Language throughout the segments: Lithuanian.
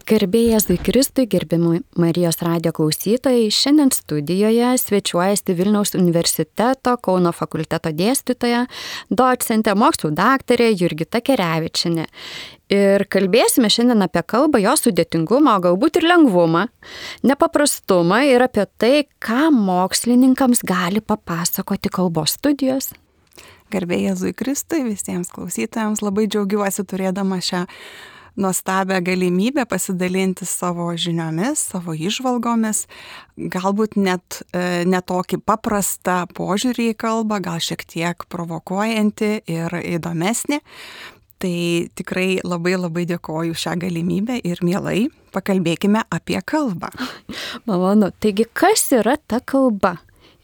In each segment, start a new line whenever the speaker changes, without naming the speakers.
Garbė Jėzui Kristui, gerbiami Marijos radijo klausytojai, šiandien studijoje svečiuojasi Vilniaus universiteto Kauno fakulteto dėstytoja, docentė, mokslų daktarė Jurgita Kerevičienė. Ir kalbėsime šiandien apie kalbą, jos sudėtingumą, o galbūt ir lengvumą, nepaprastumą ir apie tai, ką mokslininkams gali papasakoti kalbos studijos.
Garbė Jėzui Kristui, visiems klausytojams labai džiaugiuosi turėdama šią nuostabią galimybę pasidalinti savo žiniomis, savo įžvalgomis, galbūt net ne tokį paprastą požiūrį į kalbą, gal šiek tiek provokuojantį ir įdomesnį. Tai tikrai labai dėkoju šią galimybę ir mielai pakalbėkime apie kalbą.
Malonu. Taigi, kas yra ta kalba?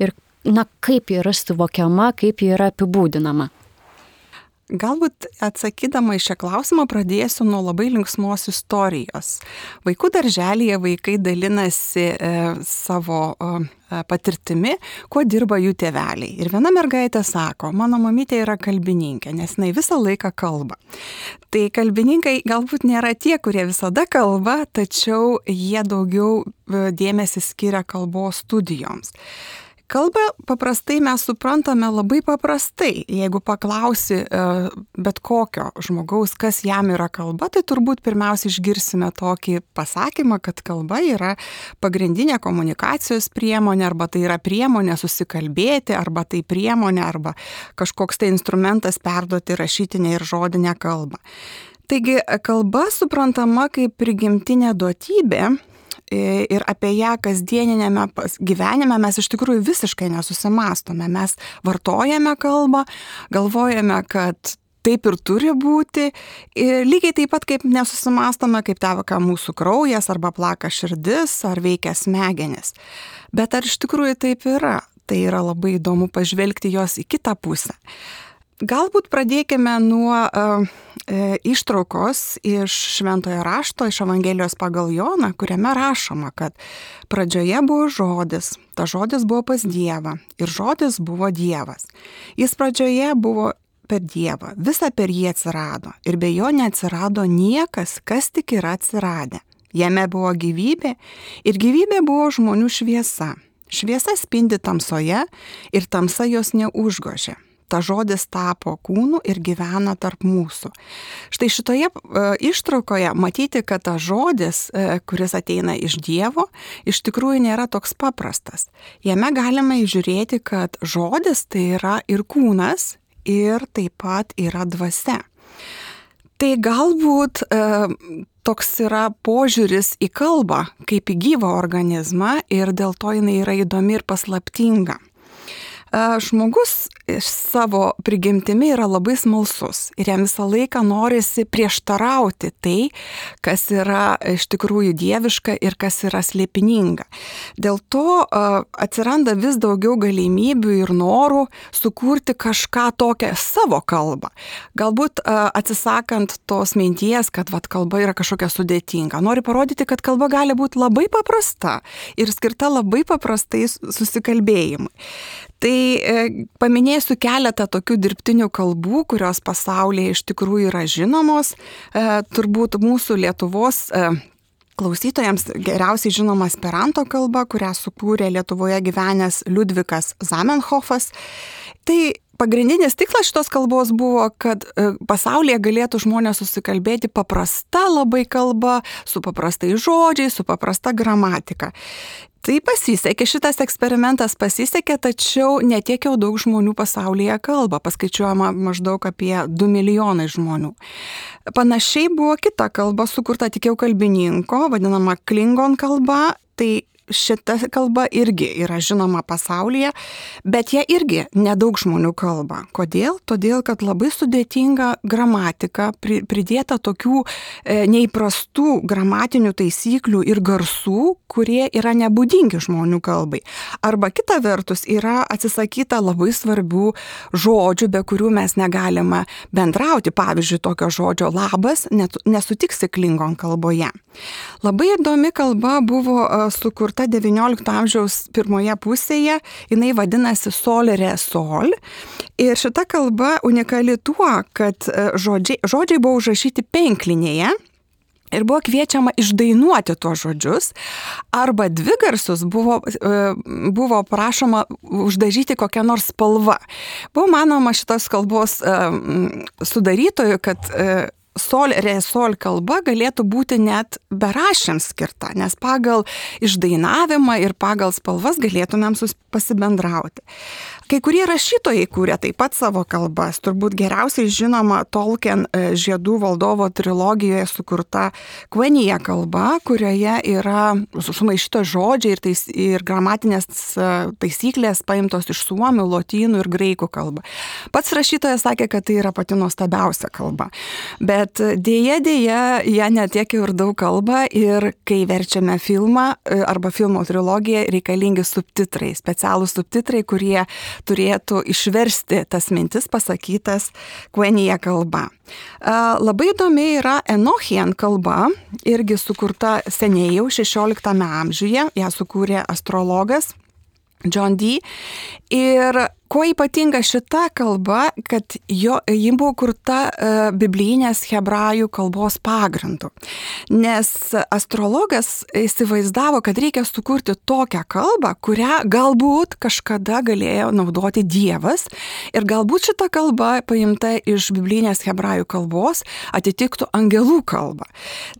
Ir kaip ji yra suvokiama, kaip ji yra apibūdinama?
Galbūt atsakydama į šią klausimą pradėsiu nuo labai linksmos istorijos. Vaikų darželyje vaikai dalinasi savo patirtimi, kuo dirba jų tėveliai. Ir viena mergaitė sako, mano mamytė yra kalbininkė, nes jinai visą laiką kalba. Tai kalbininkai galbūt nėra tie, kurie visada kalba, tačiau jie daugiau dėmesį skiria kalbos studijoms. Kalbą paprastai mes suprantame labai paprastai. Jeigu paklausi bet kokio žmogaus, kas jam yra kalba, tai turbūt pirmiausia išgirsime tokį pasakymą, kad kalba yra pagrindinė komunikacijos priemonė, arba tai yra priemonė susikalbėti, arba tai priemonė, arba kažkoks tai instrumentas perduoti rašytinę ir žodinę kalbą. Taigi kalba suprantama kaip prigimtinė duotybė. Ir apie ją kasdieninėme gyvenime mes iš tikrųjų visiškai nesusimąstome. Mes vartojame kalbą, galvojame, kad taip ir turi būti. Ir lygiai taip pat kaip nesusimąstome, kaip teka mūsų kraujas, arba plaka širdis, ar veikia smegenis. Bet ar iš tikrųjų taip yra? Tai yra labai įdomu pažvelgti jos į kitą pusę. Galbūt pradėkime nuo ištraukos iš Šventojo rašto, iš Evangelijos pagal Joną, kuriame rašoma, kad pradžioje buvo žodis, ta žodis buvo pas Dievą ir žodis buvo Dievas. Jis pradžioje buvo per Dievą, visa per jį atsirado ir be jo neatsirado niekas, kas tik yra atsiradę. Jame buvo gyvybė ir gyvybė buvo žmonių šviesa. Šviesa spindi tamsoje ir tamsa jos neužgožė. Ta žodis tapo kūnu ir gyvena tarp mūsų. Štai šitoje ištraukoje matyti, kad ta žodis, kuris ateina iš Dievo, iš tikrųjų nėra toks paprastas. Jame galime įžiūrėti, kad žodis tai yra ir kūnas, ir taip pat yra dvasia. Tai galbūt toks yra požiūris į kalbą, kaip į gyvą organizmą, ir dėl to jinai yra įdomi ir paslaptinga. Žmogus savo prigimtimi yra labai smalsus ir jam visą laiką norisi prieštarauti tai, kas yra iš tikrųjų dieviška ir kas yra slėpininga. Dėl to atsiranda vis daugiau galimybių ir norų sukurti kažką tokią savo kalbą. Galbūt atsisakant tos minties, kad kalba yra kažkokia sudėtinga. Nori parodyti, kad kalba gali būti labai paprasta ir skirta labai paprastai susikalbėjimui. Tai paminėsiu keletą tokių dirbtinių kalbų, kurios pasaulyje iš tikrųjų yra žinomos. Turbūt mūsų Lietuvos klausytojams geriausiai žinoma esperanto kalba, kurią sukūrė Lietuvoje gyvenęs Liudvikas Zamenhofas. Tai pagrindinis tikslas šitos kalbos buvo, kad pasaulyje galėtų žmonės susikalbėti paprasta labai kalba, su paprastais žodžiais, su paprasta gramatika. Tai pasisekė, šitas eksperimentas pasisekė, tačiau ne tiek jau daug žmonių pasaulyje kalba, paskaičiuojama maždaug apie 2 milijonai žmonių. Panašiai buvo kita kalba sukurta tik jau kalbininko, vadinama Klingon kalba, tai šita kalba irgi yra žinoma pasaulyje, bet ją irgi nedaug žmonių kalba. Kodėl? Todėl, kad labai sudėtinga gramatika, pridėta tokių neįprastų gramatinių taisyklių ir garsų, kurie yra nebūdingi žmonių kalbai. Arba kita vertus yra atsisakyta labai svarbių žodžių, be kurių mes negalime bendrauti. Pavyzdžiui, tokio žodžio labas nesutiksi Klingon kalboje. Labai įdomi kalba buvo sukurta 19 amžiaus pirmoje pusėje, jinai vadinasi Solere Sol. Ir šita kalba unikali tuo, kad žodžiai buvo užrašyti penklinėje Ir buvo kviečiama išdainuoti tuos žodžius, arba dvigarsius buvo prašoma uždažyti kokią nors spalvą. Buvo manoma šitos kalbos sudarytojų, kad sol, re, sol kalba galėtų būti net beraščiams skirta, nes pagal išdainavimą ir pagal spalvas galėtumėm pasibendrauti. Kai kurie rašytojai kūrė taip pat savo kalbas, turbūt geriausiai žinoma Tolkien Žiedų valdovo trilogijoje sukurta Quenya kalba, kurioje yra sumaišytos žodžiai ir gramatinės taisyklės paimtos iš suomių, lotynų ir graikų kalbą. Pats rašytojas sakė, kad tai yra pati nuostabiausia kalba. Bet dėja, ją netiek ir daug kalba ir kai verčiame filmą arba filmo trilogiją, reikalingi subtitrai, specialūs subtitrai, kurie turėtų išversti tas mintis pasakytas Quenya kalba. Labai įdomi yra Enochian kalba, irgi sukurta seniai jau 16 amžiuje, ją sukūrė astrologas John Dee. Ir kuo ypatinga šita kalba, kad ji buvo kurta biblijinės hebrajų kalbos pagrindu. Nes astrologas įsivaizdavo, kad reikia sukurti tokią kalbą, kurią galbūt kažkada galėjo naudoti Dievas. Ir galbūt šita kalba, paimta iš biblijinės hebrajų kalbos, atitiktų angelų kalbą.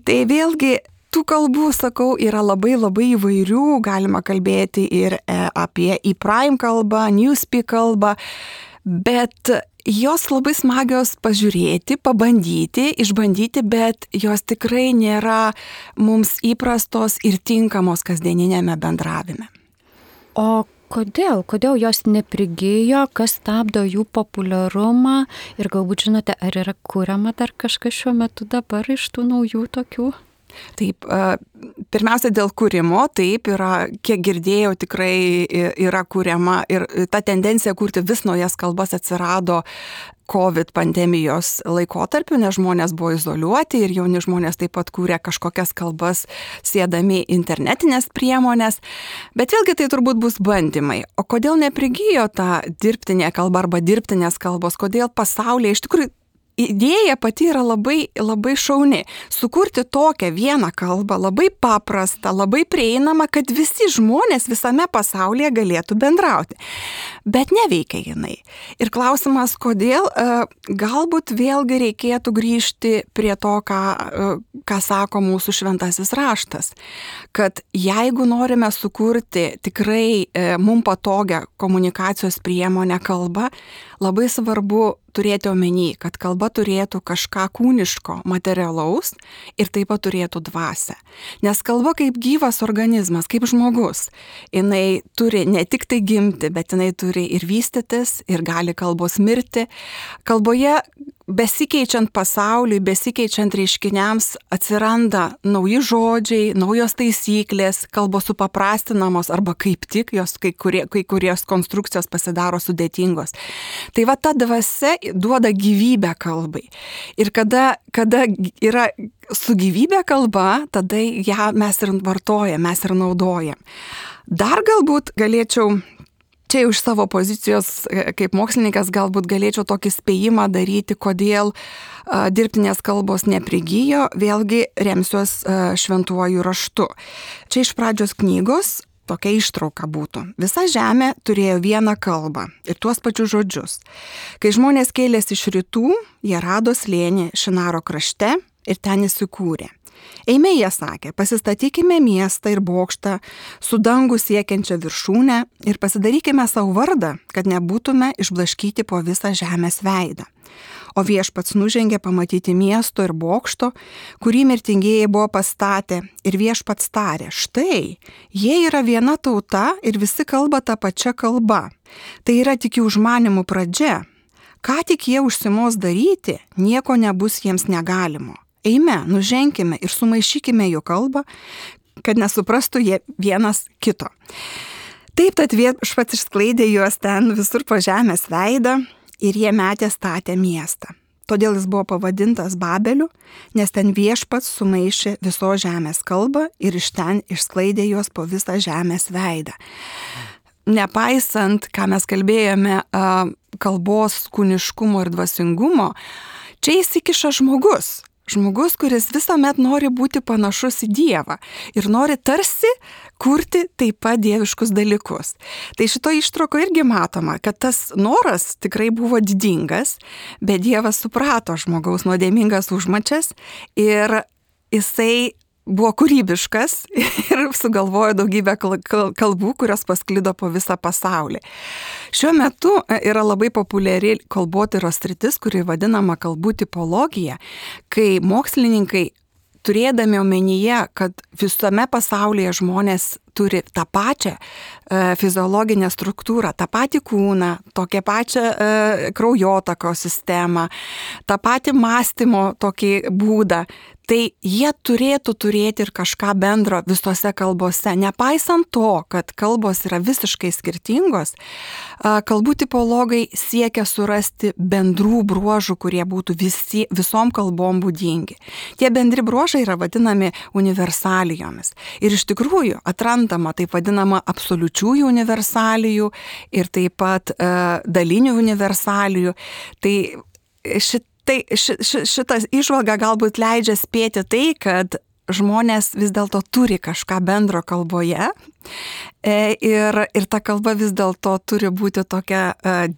Tai vėlgi tų kalbų, sakau, yra labai įvairių, galima kalbėti ir apie ePrime kalbą, Newspeak kalbą, bet jos labai smagios pažiūrėti, pabandyti, išbandyti, bet jos tikrai nėra mums įprastos ir tinkamos kasdieninėme bendravime.
O kodėl jos neprigijo, kas stabdo jų populiarumą ir galbūt žinote, ar yra kuriama dar kažkas šiuo metu dabar iš tų naujų tokių?
Taip, pirmiausia dėl kūrimo, taip yra, kiek girdėjau, tikrai yra kuriama ir ta tendencija kurti vis naujas kalbas atsirado COVID pandemijos laikotarpiu, nes žmonės buvo izoliuoti ir jauni žmonės taip pat kūrė kažkokias kalbas siedami internetinės priemonės, bet vėlgi tai turbūt bus bandymai. O kodėl neprigijo ta dirbtinė kalba arba dirbtinės kalbos, kodėl pasaulyje iš tikrųjų idėja pati yra labai šauni. Sukurti tokią vieną kalbą, labai paprastą, labai prieinamą, kad visi žmonės visame pasaulyje galėtų bendrauti. Bet neveikia jinai. Ir klausimas, kodėl, galbūt vėlgi reikėtų grįžti prie to, ką sako mūsų šventasis raštas. Kad jeigu norime sukurti tikrai mums patogią komunikacijos priemonę kalbą, labai svarbu turėti omeny, kad kalba turėtų kažką kūniško, materialaus ir taip pat turėtų dvasią. Nes kalba kaip gyvas organizmas, kaip žmogus, jinai turi ne tik tai gimti, bet jinai turi ir vystytis, ir gali kalbos mirti. Kalboje besikeičiant pasauliui, besikeičiant reiškiniams atsiranda nauji žodžiai, naujos taisyklės, kalbos supaprastinamos arba kaip tik jos kai kurios konstrukcijos pasidaro sudėtingos. Tai va ta dvasia duoda gyvybę kalbai. Ir kada yra su gyvybė kalba, tada ją mes ir vartojam, mes ir naudojam. Dar galbūt galėčiau čia iš savo pozicijos kaip mokslininkas galbūt galėčiau tokį spėjimą daryti, kodėl dirbtinės kalbos neprigijo, vėlgi remsiuos šventuoju raštu. Čia iš pradžios knygos tokia ištrauka būtų. Visa žemė turėjo vieną kalbą ir tuos pačius žodžius. Kai žmonės kėlėsi iš rytų, jie rado slėnį Šinaro krašte ir ten įsikūrė. Eime, jie sakė, pasistatykime miestą ir bokštą su dangų siekiančia viršūne ir pasidarykime savo vardą, kad nebūtume išblaškyti po visą žemės veidą. O viešpats nužengė pamatyti miesto ir bokšto, kurį mirtingieji buvo pastatę, ir viešpats tarė, štai, jie yra viena tauta ir visi kalba tą pačią kalbą. Tai yra tik jų užmanimų pradžia. Ką tik jie užsimos daryti, nieko nebus jiems negalimo. Eime, nuženkime ir sumaišykime jų kalbą, kad nesuprastų jie vienas kito. Taip, tad viešpats išsklaidė juos ten visur po žemės veidą ir jie metė statę miestą. Todėl jis buvo pavadintas Babeliu, nes ten viešpats sumaišė visos žemės kalbą ir iš ten išsklaidė juos po visą žemės veidą. Nepaisant, ką mes kalbėjome, kalbos kūniškumo ir dvasingumo, čia įsikiša žmogus. žmogus, kuris visuomet nori būti panašus į Dievą ir nori tarsi kurti taip pat dieviškus dalykus. Tai šito ištrauko irgi matoma, kad tas noras tikrai buvo didingas, bet Dievas suprato žmogaus nuodėmingas užmačias ir jisai buvo kūrybiškas ir sugalvojo daugybę kalbų, kurios pasklido po visą pasaulį. Šiuo metu yra labai populiari kalbotyros sritis, kuri vadinama kalbų tipologija, kai mokslininkai, turėdami omenyje, kad visame pasaulyje žmonės turi tą pačią fiziologinę struktūrą, tą patį kūną, tokią pačią kraujotakos sistemą, tą patį mąstymo tokį būdą, tai jie turėtų turėti ir kažką bendro visose kalbose. Nepaisant to, kad kalbos yra visiškai skirtingos, kalbų tipologai siekia surasti bendrų bruožų, kurie būtų visom kalbom būdingi. Tie bendri bruožai yra vadinami universalijomis. Ir iš tikrųjų atrandama taip vadinama absoliučiųjų universalijų ir taip pat dalinių universalijų. Tai šitas įžvalga galbūt leidžia spėti tai, kad žmonės vis dėlto turi kažką bendro kalboje ir ta kalba vis dėlto turi būti tokia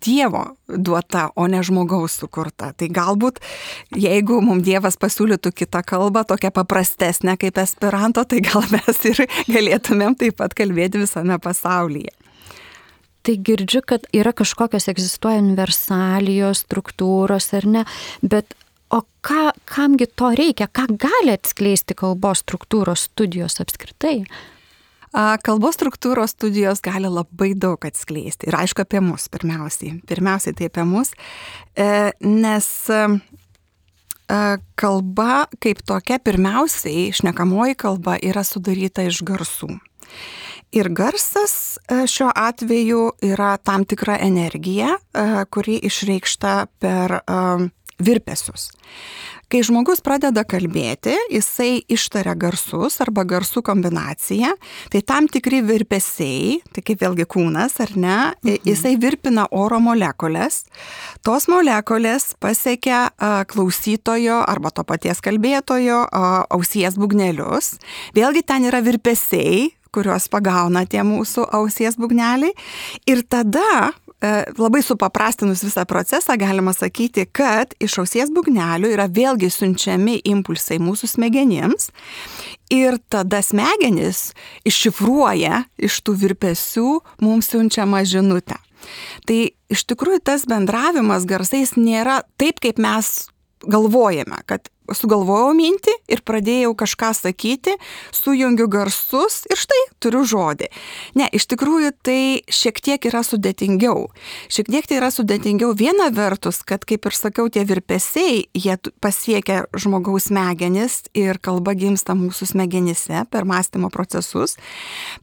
Dievo duota, o ne žmogaus sukurta. Tai galbūt, jeigu mums Dievas pasiūlytų kitą kalbą, tokią paprastesnę kaip esperanto, tai gal mes ir galėtumėm taip pat kalbėti visame pasaulyje.
Tai girdžiu, kad yra kažkokios egzistuoja universalijos, struktūros ar ne, bet o kamgi to reikia, ką gali atskleisti kalbos struktūros studijos apskritai?
Kalbos struktūros studijos gali labai daug atskleisti ir aišku apie mus pirmiausiai. Pirmiausiai tai apie mus, nes kalba kaip tokia pirmiausiai, šnekamoji kalba yra sudaryta iš garsų. Ir garsas šiuo atveju yra tam tikra energija, kuri išreikšta per virpesius. Kai žmogus pradeda kalbėti, jisai ištaria garsus arba garsų kombinaciją, tai tam tikri virpesiai, tai kaip vėlgi kūnas ar ne, jisai virpina oro molekulės. Tos molekulės pasiekia klausytojo arba to paties kalbėtojo ausies būgnelius. Vėlgi ten yra virpesiai, kuriuos pagauna tie mūsų ausies būgneliai. Ir tada, labai supaprastinus visą procesą, galima sakyti, kad iš ausies būgnelių yra vėlgi siunčiami impulsai mūsų smegenims. Ir tada smegenys iššifruoja iš tų virpesių mums siunčiamą žinutę. Tai iš tikrųjų tas bendravimas garsais nėra taip, kaip mes galvojame, kad sugalvojau mintį ir pradėjau kažką sakyti, sujungiu garsus ir štai turiu žodį. Ne, iš tikrųjų tai šiek tiek yra sudėtingiau. Šiek tiek tai yra sudėtingiau viena vertus, kad kaip ir sakiau, tie virpesiai, jie pasiekia žmogaus smegenis ir kalba gimsta mūsų smegenyse per mąstymo procesus.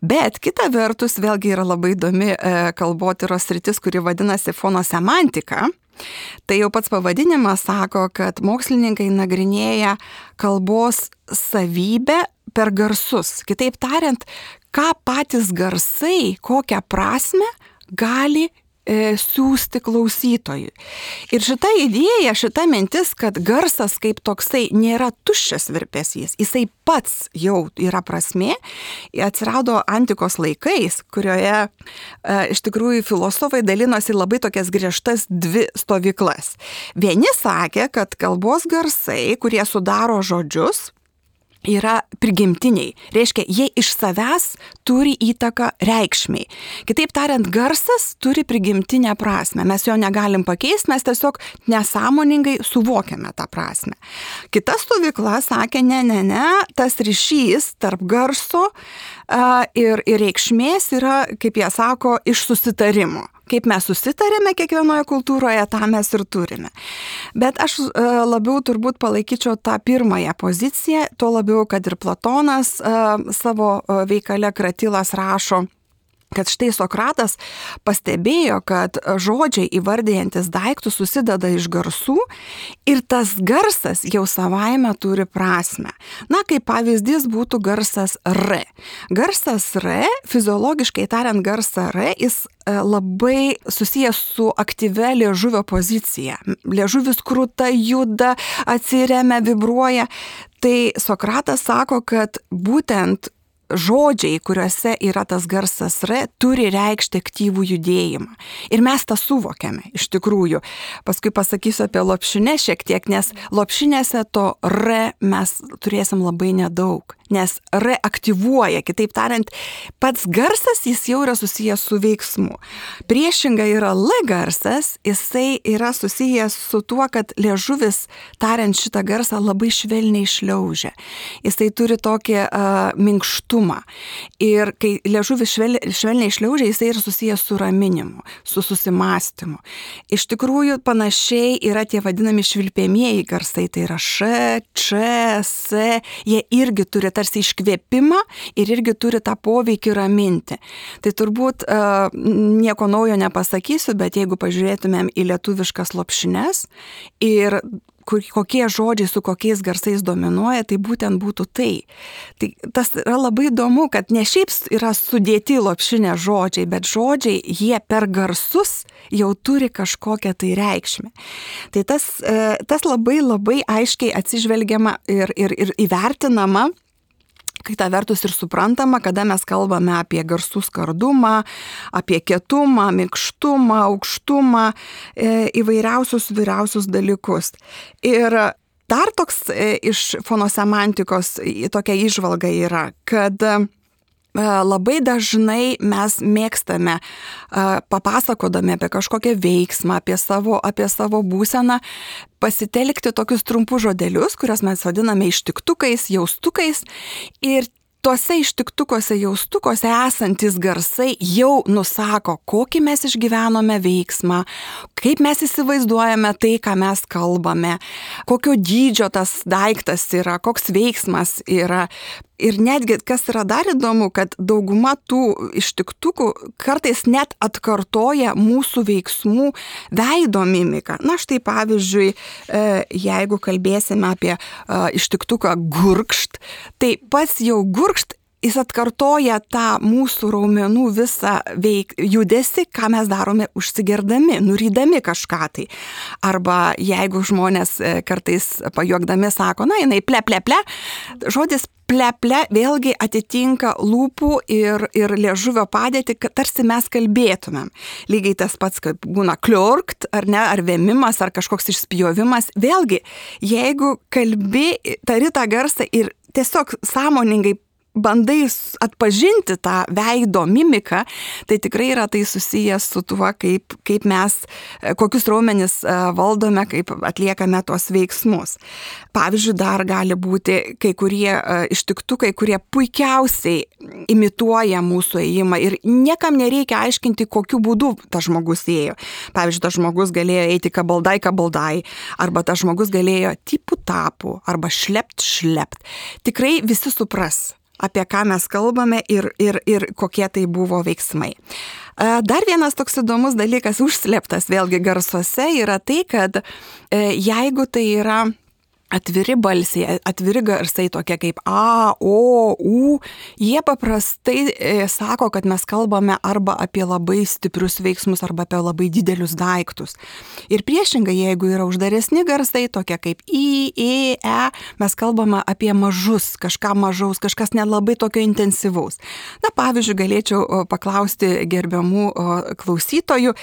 Bet kita vertus, vėlgi yra labai įdomi kalbotyros sritis, kuri vadinasi fonosemantika. Tai jau pats pavadinimas sako, kad mokslininkai nagrinėja kalbos savybę per garsus. Kitaip tariant, ką patys garsai, kokią prasmę gali siūsti klausytojui. Ir šita idėja, šita mintis, kad garsas kaip toksai nėra tuščias virpesys, jisai pats jau yra prasmė, atsirado antikos laikais, kurioje iš tikrųjų filosofai dalinosi labai tokias griežtas dvi stovyklas. Vieni sakė, kad kalbos garsai, kurie sudaro žodžius, yra prigimtiniai. Reiškia, jie iš savęs turi įtaką reikšmiai. Kitaip tariant, garsas turi prigimtinę prasmę. Mes jo negalim pakeisti, mes tiesiog nesąmoningai suvokiame tą prasmę. Kita stovykla sakė, ne, tas ryšys tarp garso ir reikšmės yra, kaip jie sako, iš susitarimo. Kaip mes susitarėme kiekvienoje kultūroje, tą mes ir turime. Bet aš labiau turbūt palaikyčiau tą pirmąją poziciją, tuo labiau, kad ir Platonas savo veikale Kratilas rašo, kad štai Sokratas pastebėjo, kad žodžiai įvardijantis daiktus susideda iš garsų ir tas garsas jau savaime turi prasmę. Na, kaip pavyzdys būtų garsas R. Garsas R, fiziologiškai tariant garsą R, jis labai susijęs su aktyvia liežuvio pozicija. Liežuvis krūta, juda, atsiremia, vibruoja. Tai Sokratas sako, kad būtent žodžiai, kuriuose yra tas garsas R, turi reikšti aktyvų judėjimą. Ir mes tą suvokiame, iš tikrųjų. Paskui pasakysiu apie lopšines šiek tiek, nes lopšinėse to R mes turėsim labai nedaug. Nes R aktyvuoja, kitaip tariant, pats garsas jis jau yra susijęs su veiksmu. Priešinga yra L garsas, jisai yra susijęs su tuo, kad liežuvis, tariant šitą garsą, labai švelniai šliaužia. Jisai turi tokį minkštumą. Ir kai liežuvis švelniai šliaužia, jisai yra susijęs su raminimu, su susimąstymu. Iš tikrųjų, panašiai yra tie vadinami švilpėmieji garsai, tai yra Š, Č, S, jie irgi turi tarsi iškvėpimą ir irgi turi tą poveikį raminti. Tai turbūt nieko naujo nepasakysiu, bet jeigu pažiūrėtumėm į lietuviškas lopšines ir kokie žodžiai su kokiais garsais dominuoja, tai būtent būtų tai. Tai tas yra labai įdomu, kad ne šiaip yra sudėti lopšinė žodžiai, bet žodžiai jie per garsus jau turi kažkokią tai reikšmę. Tai tas labai labai aiškiai atsižvelgiama ir įvertinama, kita vertus ir suprantama, kada mes kalbame apie garsų skardumą, apie kietumą, minkštumą, aukštumą, įvairiausius dalykus. Ir dar toks iš fonosemantikos tokia įžvalga yra, kad labai dažnai mes mėgstame, papasakodami apie kažkokią veiksmą, apie savo būseną, pasitelkti tokius trumpus žodelius, kuriuos mes vadiname ištiktukais, jaustukais. Ir tuose ištiktukuose, jaustukuose esantis garsai jau nusako, kokį mes išgyvenome veiksmą, kaip mes įsivaizduojame tai, ką mes kalbame, kokio dydžio tas daiktas yra, koks veiksmas yra. Ir netgi, kas yra dar įdomu, kad dauguma tų ištiktukų kartais net atkartoja mūsų veiksmų veido mimiką. Na štai pavyzdžiui, jeigu kalbėsime apie ištiktuką gurkšt, tai pats jau gurkšt, jis atkartoja tą mūsų raumenų visą judesį, ką mes darome užsigerdami, nurydami kažką tai. Arba jeigu žmonės kartais pajuokdami sako, na, jinai ple, žodis ple vėlgi atitinka lūpų ir liežuvio padėtį, kad tarsi mes kalbėtumėm. Lygiai tas pats, kaip būna kliorkt, ar ne, ar vėmimas, ar kažkoks išspjovimas. Vėlgi, jeigu kalbi, tari tą garsą ir tiesiog sąmoningai bandai atpažinti tą veido mimiką, tai tikrai yra tai susijęs su tuo, kaip mes, kokius raumenis valdome, kaip atliekame tuos veiksmus. Pavyzdžiui, dar gali būti kai kurie ištiktukai, kurie puikiausiai imituoja mūsų ėjimą ir niekam nereikia aiškinti, kokiu būdu tas žmogus ėjo. Pavyzdžiui, tas žmogus galėjo eiti kabaldai, arba tas žmogus galėjo tipų, arba šlept. Tikrai visi supras, apie ką mes kalbame ir kokie tai buvo veiksmai. Dar vienas toks įdomus dalykas užslėptas vėlgi garsuose yra tai, kad jeigu tai yra atviri balsiai, atviri garsai tokie kaip A, O, U, jie paprastai sako, kad mes kalbame arba apie labai stiprius veiksmus, arba apie labai didelius daiktus. Ir priešingai, jeigu yra uždaresni garsai, tokie kaip I, E, mes kalbame apie mažus, kažką mažaus, kažkas nelabai tokio intensyvaus. Na, pavyzdžiui, galėčiau paklausti gerbiamų klausytojų.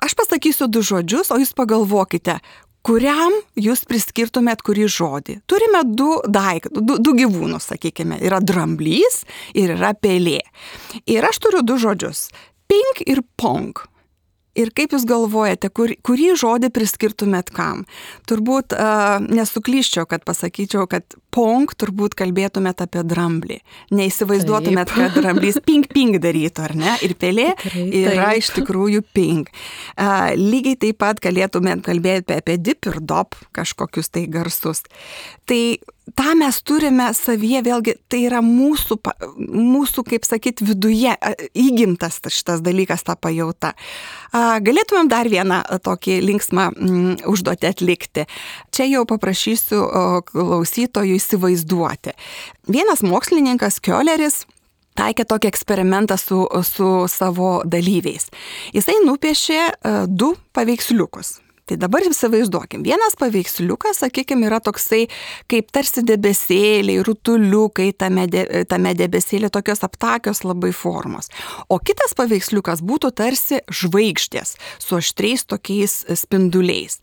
Aš pasakysiu 2 žodžius, o jūs pagalvokite, kuriam jūs priskirtumėt kurį žodį. Turime 2 gyvūnus, sakykime. Yra dramblys ir yra pelė. Ir aš turiu 2 žodžius. Ping ir pong. Ir kaip jūs galvojate, kurį žodį priskirtumėt kam? Turbūt nesuklyščiau, kad pasakyčiau, kad pong turbūt kalbėtumėt apie dramblį. Neįsivaizduotumėt, kad dramblys ping darytų, ar ne? Ir pelė yra iš tikrųjų ping. Lygiai taip pat galėtumėt kalbėti apie dip ir dop kažkokius tai garsus. Tai tą mes turime savyje, vėlgi, tai yra mūsų, kaip sakyti, viduje įgimtas šitas dalykas, ta pajauta. Galėtumėm dar vieną tokį linksmą užduotį atlikti. Čia jau paprašysiu klausytojų įsivaizduoti. Vienas mokslininkas Kioleris taikė tokį eksperimentą su savo dalyviais. Jisai nupiešė 2 paveiksliukus. Tai dabar įsivaizduokim, vienas paveiksliukas, sakykime, yra toksai kaip tarsi debesėliai, rutuliukai tame debesėlė, tokios aptakios labai formos. O kitas paveiksliukas būtų tarsi žvaigždės su aštriais tokiais spinduliais.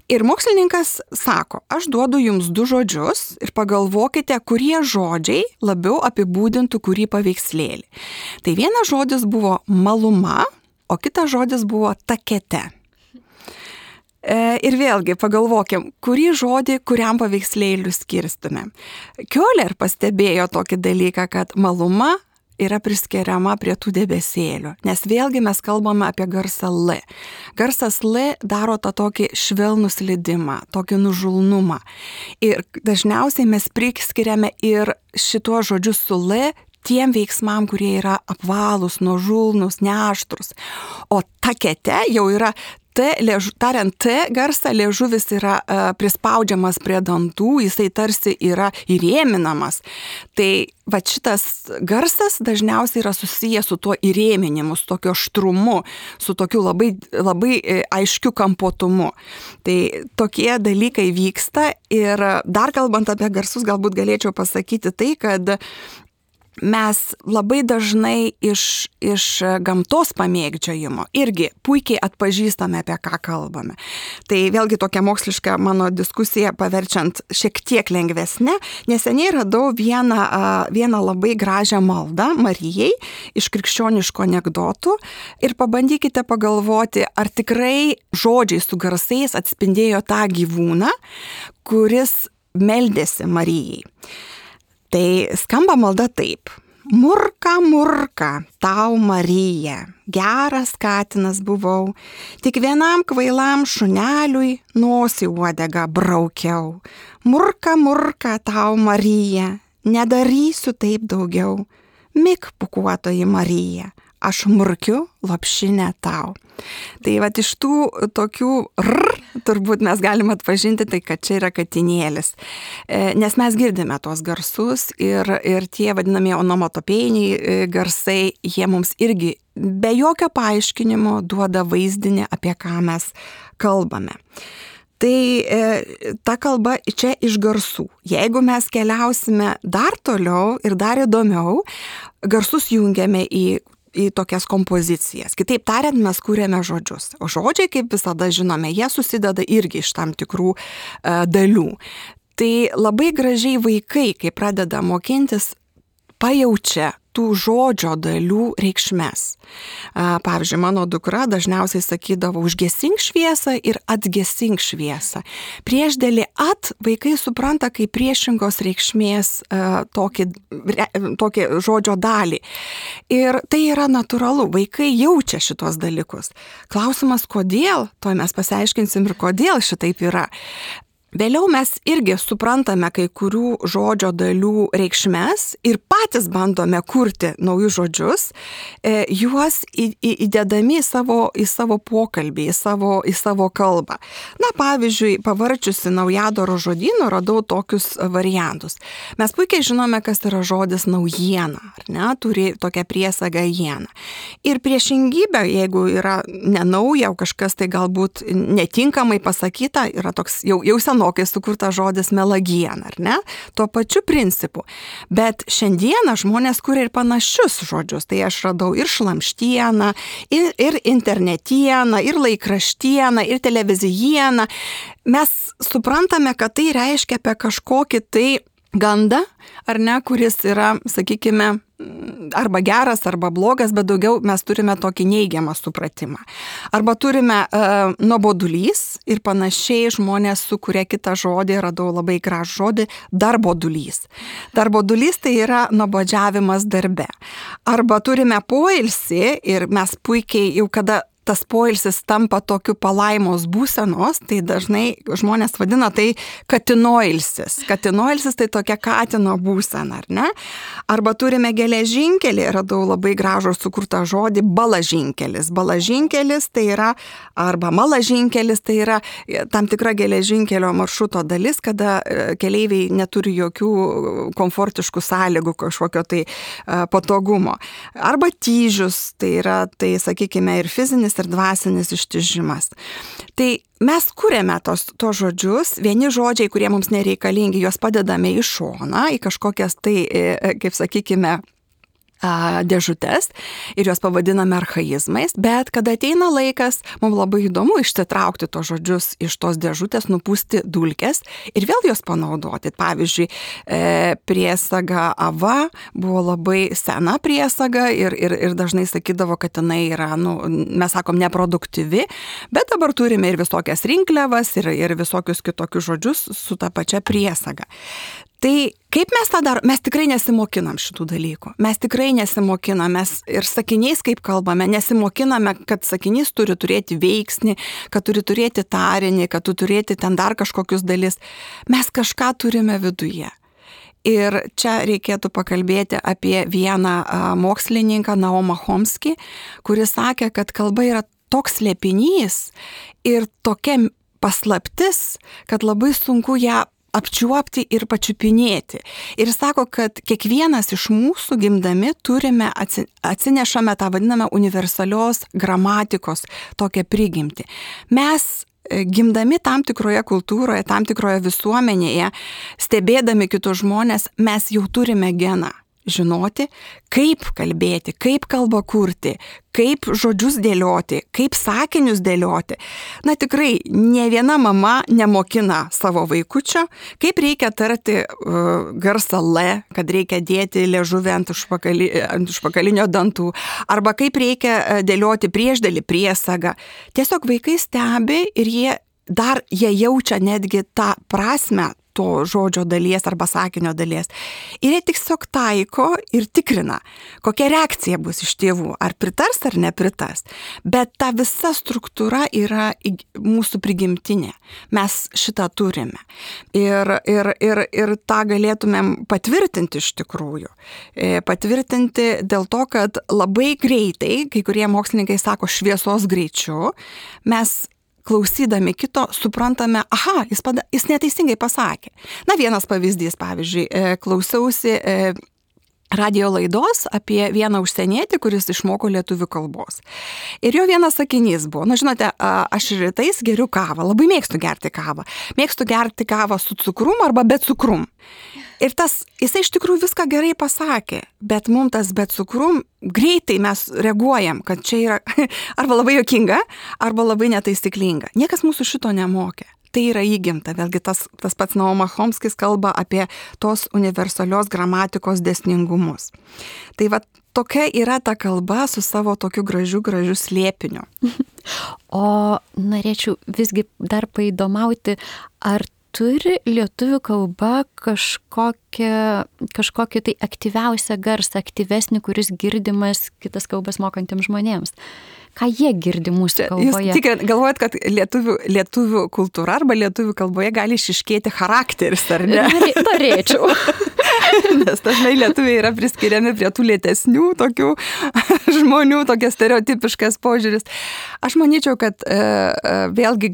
Ir mokslininkas sako, aš duodu jums 2 žodžius ir pagalvokite, kurie žodžiai labiau apibūdintų kurį paveikslėlį. Tai vienas žodis buvo maluma, o kitas žodis buvo takete. Ir vėlgi pagalvokim, kurį žodį kuriam paveikslėliui skirstume. Kioler pastebėjo tokį dalyką, kad maluma yra priskiriama prie tų debesėlių, nes vėlgi mes kalbame apie garsą L. Garsas L daro tą tokį švelnų slydimą, tokį nužulnumą. Ir dažniausiai mes priskiriame ir šituos žodžius su L tiem veiksmam, kurie yra apvalūs, nuožulnūs, neaštrus. O takete jau yra tariant T garsą, liežuvis yra prispaudžiamas prie dantų, jisai tarsi yra įrėminamas. Tai va šitas garsas dažniausiai yra susijęs su tuo įrėminimu, su tokio aštrumu, su tokiu labai, labai aiškiu kampuotumu. Tai tokie dalykai vyksta ir dar kalbant apie garsus, galbūt galėčiau pasakyti tai, kad mes labai dažnai iš gamtos pamėgdžiojimo irgi puikiai atpažįstame, apie ką kalbame. Tai vėlgi tokia moksliška mano diskusija paverčiant šiek tiek lengvesnė. Neseniai radau vieną labai gražią maldą Marijai iš krikščioniško anekdotų ir pabandykite pagalvoti, ar tikrai žodžiai su garsais atspindėjo tą gyvūną, kuris meldėsi Marijai. Tai skamba malda taip. Murka, murka, tau Marija, geras katinas buvau, tik vienam kvailam šuneliui nosį uodegą braukiau. Murka, murka, tau Marija, nedarysiu taip daugiau. Mik, pūkuotoji Marija, aš murkiu lopšinę tau. Tai va iš tų tokių turbūt mes galime atpažinti tai, kad čia yra katinėlis. Nes mes girdime tos garsus ir tie vadinami onomatopėjiniai garsai, jie mums irgi be jokio paaiškinimo duoda vaizdinį, apie ką mes kalbame. Tai ta kalba čia iš garsų. Jeigu mes keliausime dar toliau ir dar įdomiau, garsus jungiame į tokias kompozicijas. Kitaip tariant, mes kūrėme žodžius. O žodžiai, kaip visada žinome, jie susideda irgi iš tam tikrų dalių. Tai labai gražiai vaikai, kai pradeda mokintis, pajaučia tų žodžio dalių reikšmes. Pavyzdžiui, mano dukra dažniausiai sakydavo užgesink šviesą ir atgesink šviesą. Priešdėlį vaikai supranta kaip priešingos reikšmės tokį žodžio dalį. Ir tai yra natūralu, vaikai jaučia šitos dalykus. Klausimas, kodėl, to mes pasiaiškinsim ir kodėl šitaip yra. Vėliau mes irgi suprantame kai kurių žodžio dalių reikšmes ir patys bandome kurti naujus žodžius, juos įdedami į savo pokalbį, į savo kalbą. Na, pavyzdžiui, pavarčiusi naujadaro žodyno radau tokius variantus. Mes puikiai žinome, kas yra žodis naujiena, ar ne, turi tokią priesagą jiena. Ir priešingybė, jeigu yra nenauja, o kažkas tai galbūt netinkamai pasakyta, yra toks jau senokai sukurtas žodis melagiena, ar ne? Tuo pačiu principu. Bet šiandieną žmonės kuria ir panašius žodžius. Tai aš radau ir šlamštieną, ir internetieną, ir laikraštieną, ir televizijieną. Mes suprantame, kad tai reiškia apie kažkokį tai gandą, ar ne, kuris yra, sakykime, arba geras, arba blogas, bet daugiau mes turime tokį neigiamą supratimą. Arba turime nuobodulys ir panašiai žmonės sukuria kitą žodį, radau labai gražų žodį, darbodulys. Darbodulys tai yra nuobodžiavimas darbe. Arba turime poilsį ir mes puikiai jau kada tas poilsis tampa tokiu palaimos būsenos, tai dažnai žmonės vadina tai katinoilsis. Katinoilsis tai tokia katino būsena, ar ne? Arba turime geležinkelį, radau labai gražų sukurtą žodį balažinkelis. Balažinkelis tai yra, arba malažinkelis tai yra tam tikra geležinkelio maršruto dalis, kada keleiviai neturi jokių komfortiškų sąlygų, kažkokio tai patogumo. Arba tyžius, tai yra, tai sakykime, ir fizinis, ir dvasinis ištižimas. Tai mes kuriame tos žodžius, vieni žodžiai, kurie mums nereikalingi, juos padedame į šoną, į kažkokias tai, kaip sakykime, dėžutes ir juos pavadiname archaizmais, bet kada ateina laikas, mums labai įdomu išsitraukti tos žodžius iš tos dėžutės, nupūsti dulkes ir vėl juos panaudoti. Pavyzdžiui, priesaga ava buvo labai sena priesaga ir dažnai sakydavo, kad jinai yra, mes sakom, neproduktyvi, bet dabar turime ir visokias rinkliavas ir visokius kitokius žodžius su ta pačia priesaga. Tai kaip mes tą darom? Mes tikrai nesimokinam šitų dalykų. Mes tikrai nesimokinam, mes ir sakiniais, kaip kalbame, nesimokiname, kad sakinys turi turėti veiksnį, kad turi turėti tarinį, kad turi turėti ten dar kažkokius dalis. Mes kažką turime viduje. Ir čia reikėtų pakalbėti apie vieną mokslininką, Naumą Chomskį, kuris sakė, kad kalba yra toks slėpinys ir tokia paslaptis, kad labai sunku ją apčiuopti ir pačiupinėti. Ir sako, kad kiekvienas iš mūsų gimdami turime, atsinešame tą vadinamą universalios gramatikos tokią prigimtį. Mes gimdami tam tikroje kultūroje, tam tikroje visuomenėje, stebėdami kitus žmonės, mes jau turime geną. Žinoti, kaip kalbėti, kaip kalbą kurti, kaip žodžius dėlioti, kaip sakinius dėlioti. Na tikrai, ne viena mama nemokina savo vaikučio, kaip reikia tarti garsą L, kad reikia dėti liežuvį ant užpakalinio dantų, arba kaip reikia dėlioti priešdėlį priesagą. Tiesiog vaikai stebi ir jie jaučia netgi tą prasmę to žodžio dalies arba sakinio dalies. Ir jie tiesiog taiko ir tikrina, kokia reakcija bus iš tėvų, ar pritars ar nepritars. Bet ta visa struktūra yra mūsų prigimtinė. Mes šitą turime. Ir tą galėtumėm patvirtinti iš tikrųjų. Patvirtinti dėl to, kad labai greitai, kai kurie mokslininkai sako šviesos greičiu, mes klausydami kito, suprantame, jis neteisingai pasakė. Na, vienas pavyzdys, pavyzdžiui, klausiausi radio laidos apie vieną užsienietį, kuris išmoko lietuvių kalbos. Ir jo vienas sakinys buvo, žinote, aš rytais geriu kavą, labai mėgstu gerti kavą. Mėgstu gerti kavą su cukrum arba be cukrum. Ir jisai iš tikrųjų viską gerai pasakė, bet mums tas be cukrum greitai mes reaguojam, kad čia yra arba labai juokinga, arba labai netaisyklinga. Niekas mūsų šito nemokė. Tai yra įgimta. Vėlgi tas pats Naumas Chomskis kalba apie tos universalios gramatikos dėsningumus. Tai va tokia yra ta kalba su savo tokiu gražiu slėpiniu.
O norėčiau visgi dar paįdomauti, ar turi lietuvių kalba kažkokį tai aktyviausią garsą, aktyvesnį, kuris girdimas kitas kalbas mokantiems žmonėms? Ką jie girdi mūsų kalboje?
Jūs tikrai galvojat, kad lietuvių kultūra arba lietuvių kalboje gali išiškėti charakteris, ar ne?
Norėčiau.
Nes dažnai lietuviai yra priskiriami prie tų lėtesnių tokių žmonių, tokias stereotipiškas požiūris. Aš manyčiau, kad vėlgi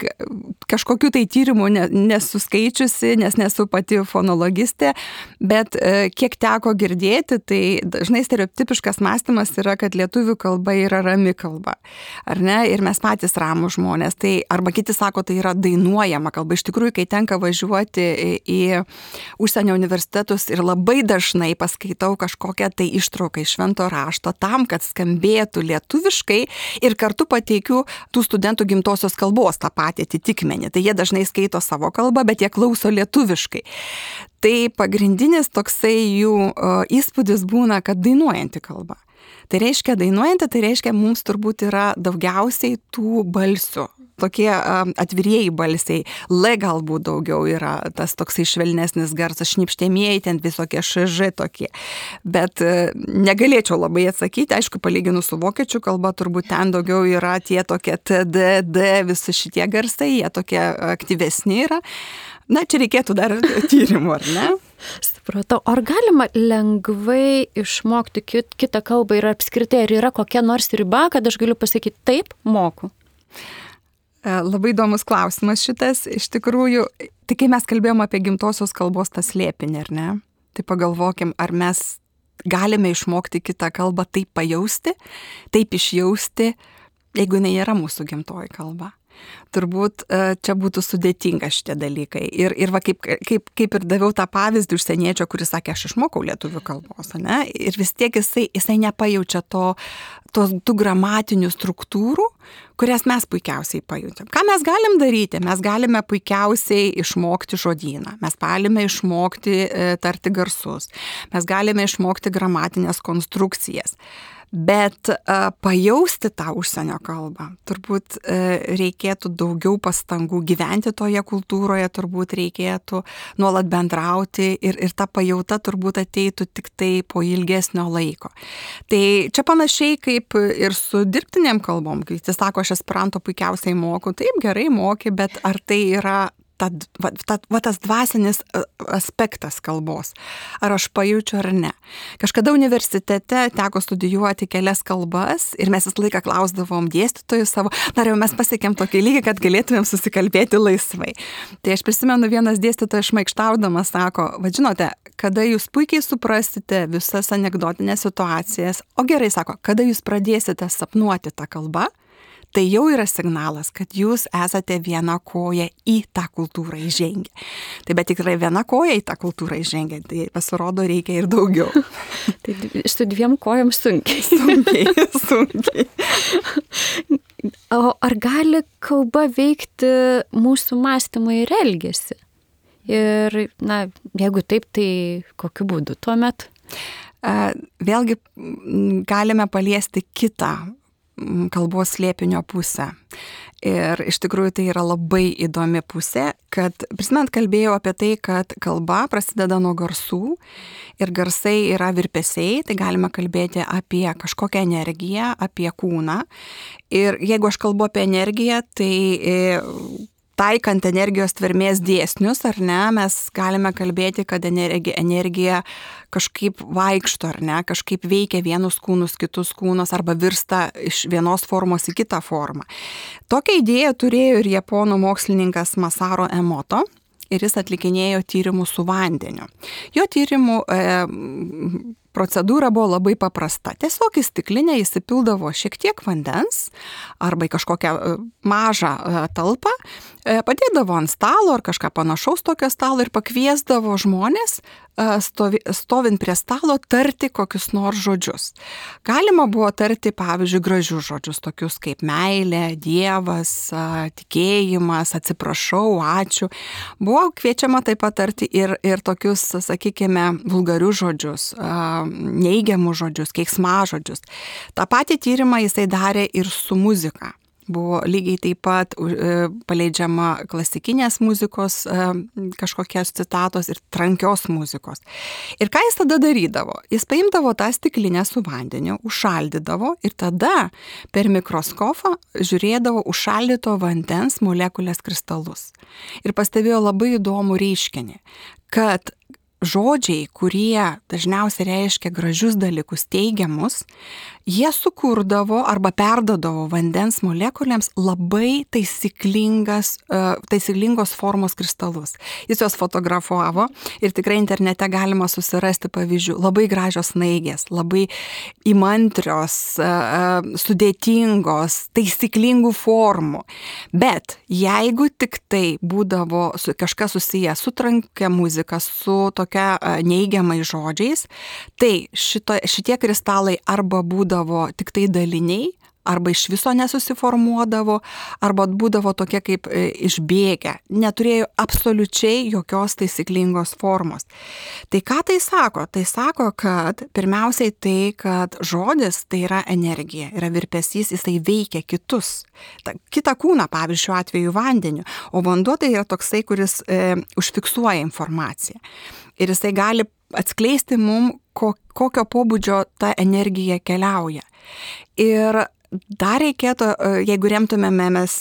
kažkokių tai tyrimų nesuskaičiusi, nes nesu pati fonologistė, bet kiek teko girdėti, tai dažnai stereotipiškas mąstymas yra, kad lietuvių kalba yra rami kalba. Ar ne? Ir mes patys ramūs žmonės. Tai, arba kiti sako, tai yra dainuojama kalba. Iš tikrųjų, kai tenka važiuoti į užsienio universitetus ir labai dažnai paskaitau kažkokią tai ištrauką iš švento rašto tam, kad skambėtų lietuviškai ir kartu pateikiu tų studentų gimtosios kalbos tą patį atitikmenį. Tai jie dažnai skaito savo kalbą, bet jie klauso lietuviškai. Tai pagrindinis toksai jų įspūdis būna, kad dainuojanti kalba. Tai reiškia dainuojanti, tai reiškia mums turbūt yra daugiausiai tų balsių. tokie atvirieji balsiai, L galbūt daugiau yra tas toksai švelnesnis garsas, šnipštėmieji, ten visokie ŠŽ tokie. Bet negalėčiau labai atsakyti, aišku, palyginus su vokiečių kalba, turbūt ten daugiau yra tie tokie TD, D, visi šitie garsai, jie tokie aktyvesni yra. Na, čia reikėtų dar tyrimų, ar ne?
Supratau, ar galima lengvai išmokti kitą kalbą ir apskritai, ar yra kokia nors riba, kad aš galiu pasakyti, taip, moku?
Labai įdomus klausimas šitas. Iš tikrųjų, tai kai mes kalbėjom apie gimtosios kalbos tą slėpinį, ar ne? Tai pagalvokim, ar mes galime išmokti kitą kalbą taip pajausti, taip išjausti, jeigu jinai yra mūsų gimtoji kalba. Turbūt čia būtų sudėtinga šitie dalykai. Ir va, kaip ir daviau tą pavyzdį užsieniečio, kuris sakė, aš išmokau lietuvių kalbos, ne? Ir vis tiek jisai nepajaučia tų gramatinių struktūrų, kurias mes puikiausiai pajutėm. Ką mes galim daryti? Mes galime puikiausiai išmokti žodyną, mes galime išmokti tarti garsus, mes galime išmokti gramatinės konstrukcijas. Bet pajausti tą užsienio kalbą, turbūt reikėtų daugiau pastangų gyventi toje kultūroje, turbūt reikėtų nuolat bendrauti ir ta pajauta turbūt ateitų tik tai po ilgesnio laiko. Tai čia panašiai kaip ir su dirbtinėm kalbom, kai jis sako, aš esperanto puikiausiai moku, taip gerai moki, bet ar tai yra tas dvasinis aspektas kalbos. Ar aš pajaučiu ar ne. Kažkada universitete teko studijuoti kelias kalbas ir mes visą laiką klausdavom dėstytojų savo, dar jau mes pasiekėm tokį lygį, kad galėtumėm susikalbėti laisvai. Tai aš prisimenu, vienas dėstytojas šmaikštaudamas sako, žinote, kada jūs puikiai suprasite visas anekdotinės situacijas, o gerai sako, kada jūs pradėsite sapnuoti tą kalbą, tai jau yra signalas, kad jūs esate viena koja į tą kultūrą įžengę. Tai bet tikrai viena koja į tą kultūrą įžengę, tai pasirodo reikia ir daugiau.
Tai su dviem kojom sunkiai.
Sunkiai.
O ar gali kalba veikti mūsų mąstymą ir elgesį? Ir, na, jeigu taip, tai kokiu būdu tuomet?
Vėlgi galime paliesti kitą kalbos slėpinio pusę. Ir iš tikrųjų tai yra labai įdomi pusė, kad prisimint kalbėjau apie tai, kad kalba prasideda nuo garsų ir garsai yra virpesiai, tai galime kalbėti apie kažkokią energiją, apie kūną. Ir jeigu aš kalbu apie energiją, tai taikant energijos tvermės dėsnius, ar ne, mes galime kalbėti, kad energija kažkaip vaikšto, ar ne, kažkaip veikia vienus kūnus, kitus kūnus, arba virsta iš vienos formos į kitą formą. Tokią idėją turėjo ir japonų mokslininkas Masaru Emoto, ir jis atlikinėjo tyrimus su vandeniu. Jo tyrimų procedūra buvo labai paprasta. Tiesiog į stiklinę įsipildavo šiek tiek vandens arba į kažkokią mažą talpą, padėdavo ant stalo ar kažką panašaus tokio stalo ir pakviesdavo žmonės stovint prie stalo tarti kokius nors žodžius. Galima buvo tarti, pavyzdžiui, gražius žodžius, tokius kaip meilė, dievas, tikėjimas, atsiprašau, ačiū. Buvo kviečiama taip pat tarti ir tokius, sakykime, vulgarius žodžius, neigiamus žodžius, keiksmažodžius. Ta patį tyrimą jisai darė ir su muzika. Buvo lygiai taip pat paleidžiama klasikinės muzikos kažkokios citatos ir trankios muzikos. Ir ką jis tada darydavo? Jis paimdavo tą stiklinę su vandeniu, užšaldydavo ir tada per mikroskopą žiūrėdavo užšaldyto vandens molekulės kristalus. Ir pastebėjo labai įdomų reiškinį, kad žodžiai, kurie dažniausiai reiškia gražius dalykus, teigiamus, jie sukurdavo arba perdodavo vandens molekulėms labai taisyklingos formos kristalus. Jis juos fotografavo ir tikrai internete galima susirasti pavyzdžių. Labai gražios snaigės, labai įmantrios, sudėtingos, taisyklingų formų. Bet jeigu tik tai būdavo kažkas susiję su trankia muzika, su tokia neigiamai žodžiais, tai šitie kristalai arba būdavo tik tai daliniai, arba iš viso nesusiformuodavo, arba būdavo tokie kaip išbėgę, neturėjo absoliučiai jokios taisyklingos formos. Tai ką tai sako? Tai sako, kad pirmiausiai tai, kad žodis tai yra energija, yra virpesys, jisai veikia kitus. Kitą kūną, pavyzdžiui, šiuo atveju vandeniu, o vanduo tai yra toksai, kuris užfiksuoja informaciją. Ir jisai gali atskleisti mum, kokio pobūdžio ta energija keliauja. Ir dar reikėtų, jeigu remtumėmės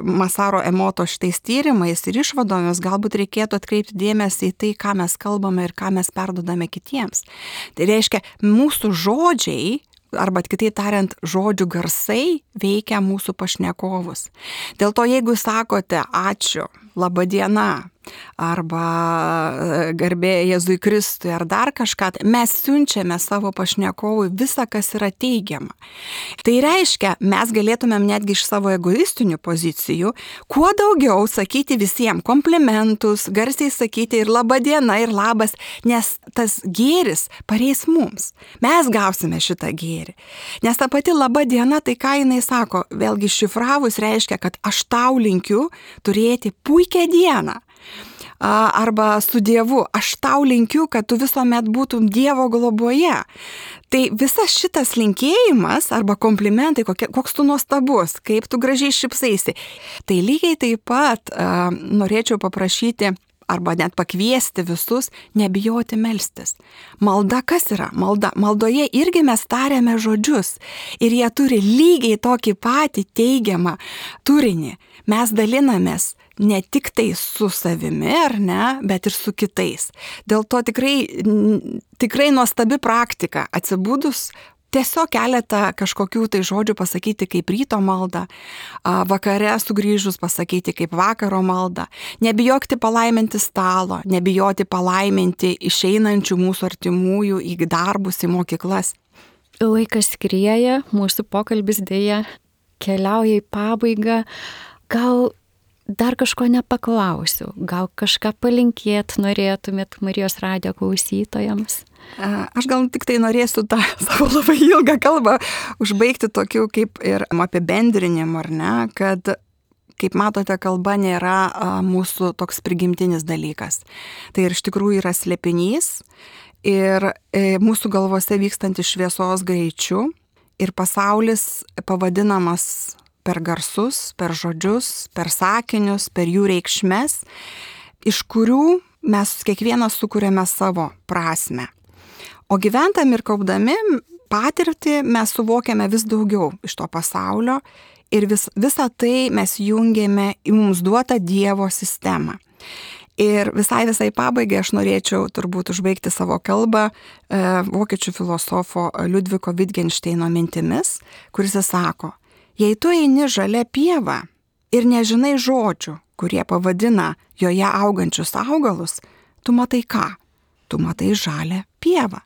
Masaru Emoto šitais tyrimais ir išvadomis, galbūt reikėtų atkreipti dėmesį į tai, ką mes kalbame ir ką mes perdodame kitiems. Tai reiškia, mūsų žodžiai, arba kitaip tariant, žodžių garsai veikia mūsų pašnekovus. Dėl to, jeigu sakote ačiū, laba diena, arba garbė Jėzui Kristui, ar dar kažką, mes siunčiame savo pašnekovui visą, kas yra teigiama. Tai reiškia, mes galėtumėm netgi iš savo egoistinių pozicijų kuo daugiau sakyti visiems komplimentus, garsiai sakyti ir laba diena, ir labas, nes tas gėris pareis mums. Mes gausime šitą gėrį. Nes ta pati laba diena, tai ką jinai sako, vėlgi šifravus reiškia, kad aš tau linkiu turėti puikią dieną. Arba su Dievu, aš tau linkiu, kad tu visuomet būtum Dievo globoje. Tai visas šitas linkėjimas arba komplimentai, koks tu nuostabus, kaip tu gražiai šypsaisi. Tai lygiai taip pat norėčiau paprašyti arba net pakviesti visus nebijoti melstis. Malda kas yra? Maldoje irgi mes tariame žodžius ir jie turi lygiai tokį patį teigiamą turinį. Mes dalinamės ne tik tai su savimi, ar ne, bet ir su kitais. Dėl to tikrai nuostabi praktika. Atsibudus tiesiog keletą kažkokių tai žodžių pasakyti kaip ryto maldą, vakare sugrįžus pasakyti kaip vakaro maldą. Nebijoti palaiminti stalo, nebijoti palaiminti išeinančių mūsų artimųjų į darbus, į mokyklas.
Laikas skrieja, mūsų pokalbis dėja keliauja į pabaigą. Gal dar kažko nepaklausiu, gal kažką palinkėt norėtumėt Marijos radijo klausytojams?
Aš gal tik tai norėsiu tą savo labai ilgą kalbą užbaigti tokiu kaip ir apibendrinimu, ar ne, kad, kaip matote, kalba nėra mūsų toks prigimtinis dalykas. Tai ir iš tikrųjų yra slėpinys ir mūsų galvose vykstantis šviesos greičiu ir pasaulis pavadinamas per garsus, per žodžius, per sakinius, per jų reikšmes, iš kurių mes kiekvienas sukūrėme savo prasmę. O gyventam ir kaupdami patirtį mes suvokiame vis daugiau iš to pasaulio ir visą tai mes jungiame į mums duotą Dievo sistemą. Ir visai pabaigai aš norėčiau turbūt užbaigti savo kalbą vokiečių filosofo Liudviko Wittgensteino mintimis, kuris sako: jei tu eini žalia pieva ir nežinai žodžių, kurie pavadina joje augančius augalus, tu matai ką? Tu matai žalią pievą.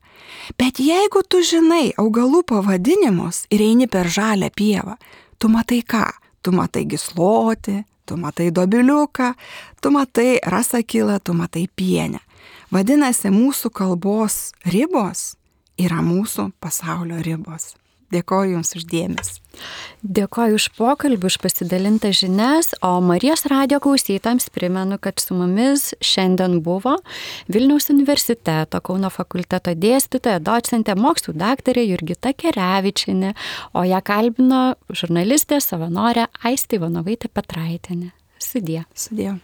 Bet jeigu tu žinai augalų pavadinimus ir eini per žalią pievą, tu matai ką? Tu matai gyslotį, tu matai dobiliuką, tu matai rasakilą, tu matai pienę. Vadinasi, mūsų kalbos ribos yra mūsų pasaulio ribos. Dėkoju Jums už dėmesį.
Dėkoju už pokalbį, už pasidalintą žinias, o Marijos radijo klausytojams primenu, kad su mumis šiandien buvo Vilniaus universiteto Kauno fakulteto dėstytoja, docentė, mokslų daktarė Jurgita Kerevičienė, o ją kalbino žurnalistė, savanorė Aistė Ivanovaitė Petraitienė. Sudie.
Sudie.